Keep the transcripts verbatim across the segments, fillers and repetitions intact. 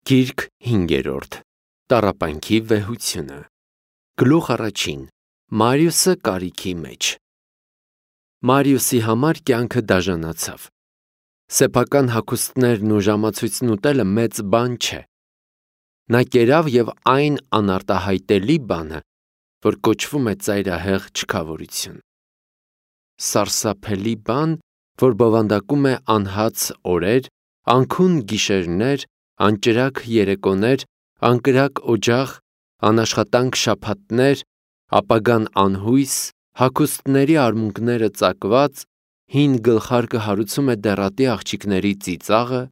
Գիրք հինգերորդ. Տառապանքի վեհությունը։ Գլուխ առաջին. Մարիուսը կարիքի մեջ։ Մարիուսի համար կյանքը դաժանացավ։ Սեփական հագուստներն ու ժամացույցն ուտելը մեծ բան չէ։ Նա կերավ և այն անարտահայտելի բանը, որ կոչվում է ծայրահեղ չքավորություն։ Սարսափելի բան, որ բովանդակում է անհաց օրեր, անքուն գիշերներ, անճրագ երեկոներ, անկրակ օջախ, անաշխատանք շաբաթներ, ապագան անհույս, հագուստների արմունկները ծակված, հին գլխարկը հարուցում է դեռատի աղջիկների ծիծաղը,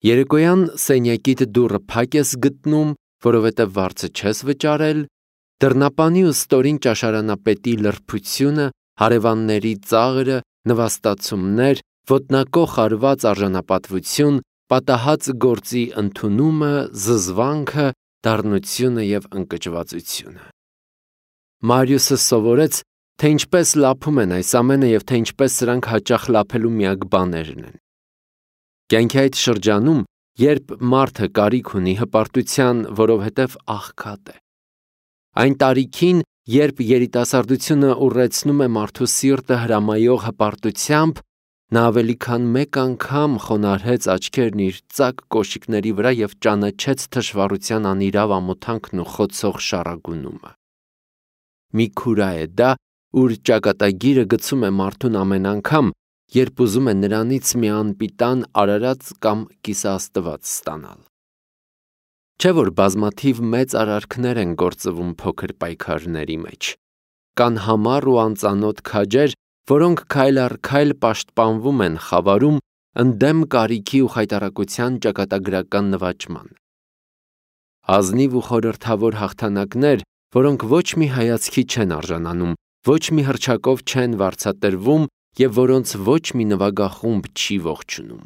երեկոյան սենյակիդ դուռը փակ ես գտնում, որովհետև վարձը չես վճարել, դռնապանի ու ստորին ճաշարանապետի լրբությունը, հարևանների ծաղրը, նվաստացումներ, ոտնակոխ արված արժանապատվություն, պատահած գործի ընդունումը, զզվանքը, դառնությունը և ընկճվածությունը։ Մարիուսը սովորեց, թե ինչպես լափում են այս ամենը և թե ինչպես սրանք հաճախ լափելու միակ բաներն են։ Կյանքի այդ շրջանում, երբ մարդը կարիք ունի հպարտության, որովհետև աղքատ է։ Այն տարիքին, երբ երիտասարդությունը ուռեցնում է մարդու սիրտը հրամայող հպարտությամբ, նա ավելի քան մեկ անգամ խոնարհեց աչքերն իր ծակ կոշիկների վրա և ճանաչեց թշվառության անիրավ ամոթանքն ու խոցող շառագունումը։ Մի քուրա է դա, ուր ճակատագիրը գցում է մարդուն ամեն անգամ, երբ ուզում է նրանից մի անպիտան արարած կամ կիսաստված ստանալ։ Չէ՞ որ բազմաթիվ մեծ արարքներ են գործվում փոքր պայքարների մեջ։ Կան համառ ու անծանոթ քաջեր, որոնք քայլ առ քայլ պաշտպանվում են խավարում, ընդդեմ կարիքի ու խայտառակության ճակատագրական նվաճման։ Ազնիվ ու խորհրդավոր հաղթանակներ, որոնք ոչ մի հայացքի չեն արժանանում, ոչ մի հռչակով չեն վարձատրվում և որոնց ոչ մի նվագախումբ չի ողջունում։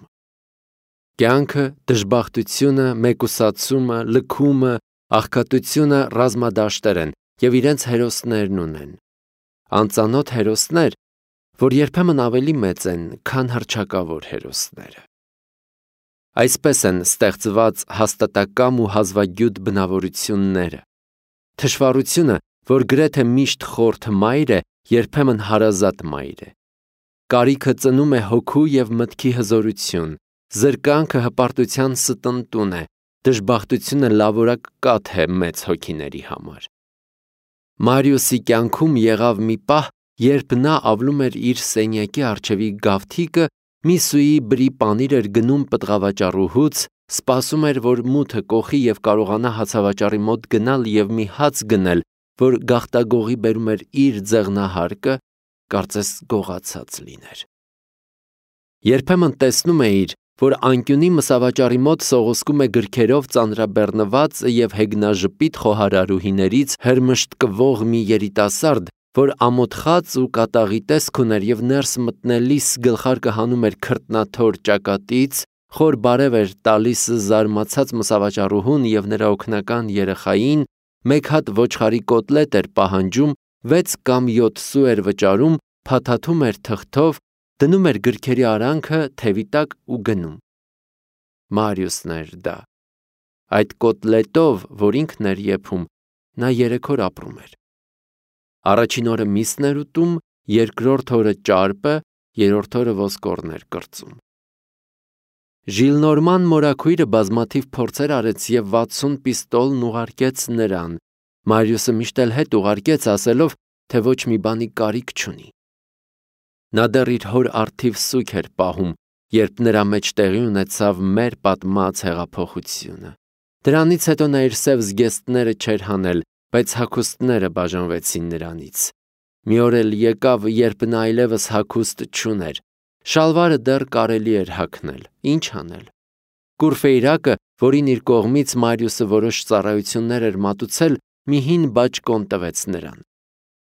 Կյանքը, դժբախտությունը, մեկուսացումը, լքումը, աղքատությունը ռազմադաշտեր են և իրենց հերոսներն ունեն։ Անծանոթ հերոսներ, որ երբեմն ավելի մեծ են, քան հռչակավոր հերոսները։ Այսպես են ստեղծված հաստատակամ ու հազվագյուտ բնավորությունները։ Թշվառությունը, որ գրեթե միշտ խորթ մայր է, երբեմն հարազատ մայր է։ Կարիքը ծնում է հոգու և մտքի հզորություն, զրկանքը հպարտության ստնտուն է, դժբախտությունը լավորակ կաթ է մեծ հոգիների համար։ Մարիուսի կյանքում եղավ մի պահ, երբ նա ավլում էր իր սենյակի առջևի գավթիկը, մի սուի բրի պանիր էր գնում պտղավաճառուհուց, սպասում էր, որ մութը կոխի և կարողանա հացավաճառի մոտ գնալ և մի հաց գնել, որ գաղտագողի բերում էր իր ձեղնահարկը, կարծես գողացած լիներ։ Երբեմն տեսնում էիր, որ անկյունի մսավաճառի մոտ սողոսկում է գրքերով ծանրաբեռնված և հեգնաժպիտ խոհարարուհիներից հրմշտկվող մի երիտասարդ, որ ամոթխած ու կատաղի տեսք ուներ և ներս մտնելիս գլխարկը հանում էր քրտնաթոր ճակատից, խոր բարև էր տալիս զարմացած մսավաճառուհուն և նրա օգնական երեխային, մեկ հատ ոչխարի կոտլետ էր պահանջում, վեց կամ յոթ սու էր վճարում, փաթաթում էր թղթով, դնում էր գրքերի արանքը թևի տակ ու գնում։ Մարիուսն էր դա։ Այդ կոտլետով, որ ինքն էր եփում, նա երեք օր ապրում էր։ Առաջին օրը միսն էր ուտում, երկրորդ օրը ճարպը, երրորդ օրը ոսկորն էր կրծում։ Ժիլնորման մորաքույրը բազմաթիվ փորձեր արեց և վաթսուն պիստոլն ուղարկեց նրան։ Մարիուսը միշտ էլ հետ ուղարկեց, ասելով, թե ոչ մի բանի կարիք չունի։ Նա դեռ իր հոր առթիվ սուգ էր պահում, երբ նրա մեջ տեղի ունեցավ մեր պատմած հեղափոխությունը։ Դրանից հետո նա իր սև զգեստները չէր հանել, բայց հագուստները բաժանվեցին նրանից։ Մի օր էլ եկավ, երբ նա այլևս հագուստ չուներ։ Շալվարը դեռ կարելի էր հագնել, ինչ անել։ Կուրֆեյրակը, որին իր կողմից Մարիուսը որոշ ծառայություններ էր մատուցել, մի հին բաճկոն տվեց նրան։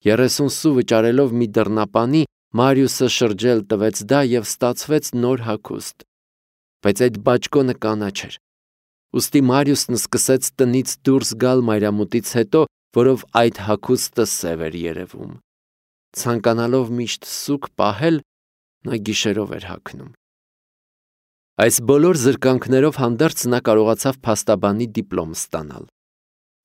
Երեսուն սու վճարելով մի դռնապանի, Մարիուսը շրջել տվեց դա և ստացվեց նոր հագուստ։ Բայց այդ բաճկոնը կանաչ էր։ Ուստի Մարիուսն սկսեց տնից դուրս գալ մայրամուտից հետո, որով այդ հագուստը սև էր երևում։ Ցանկանալով միշտ սուգ պահել, նա գիշերով էր հագնում։ Այս բոլոր զրկանքներով հանդերձ նա կարողացավ փաստաբանի դիպլոմ ստանալ։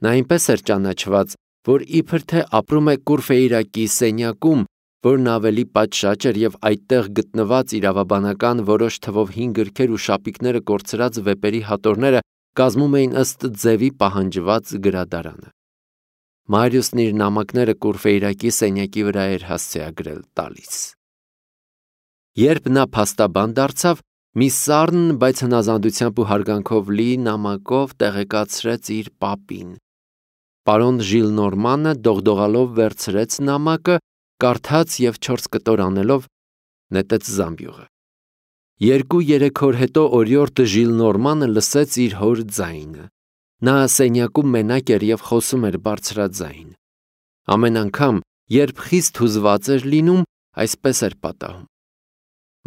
Նա այնպես էր ճանաչված, որ իբր թե ապրում է Կուրֆեյրակի սենյակում, որն ավելի պատշաճ էր և այդտեղ գտնված իրավաբանական որոշ թվով հին գրքեր ու շապիկները կորցրած վեպերի հատորները կազմում էին ըստ ձևի պահանջված գրադարանը։ Մարիուսն իր նամակները Կուրֆեյրակի սենյակի վրա էր հասցեագրել տալիս։ Երբ նա փաստաբան դարձավ, մի սառն, բայց հնազանդությամբ ու հարգանքով լի նամակով տեղեկացրեց իր պապին։ Պարոն Ժիլնորմանը դողդողալով վերցրեց նամակը, կարդաց և չորս կտոր անելով նետեց զամբյուղը։ Երկու-երեք օր հետո օրիորդ Ժիլնորմանը լսեց իր հոր ձայնը։ Նա սենյակում մենակ էր և խոսում էր բարձրաձայն։ Ամեն անգամ, երբ խիստ հուզված էր լինում, այսպես էր պատահում։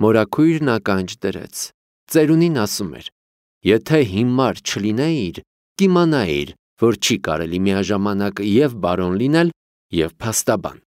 Մորաքույրն ականջ դրեց։ Ծերունին ասում էր. «Եթե հիմար չլինեիր, կիմանայիր, որ չի կարելի միաժամանակ և բարոն լինել, և փաստաբան»։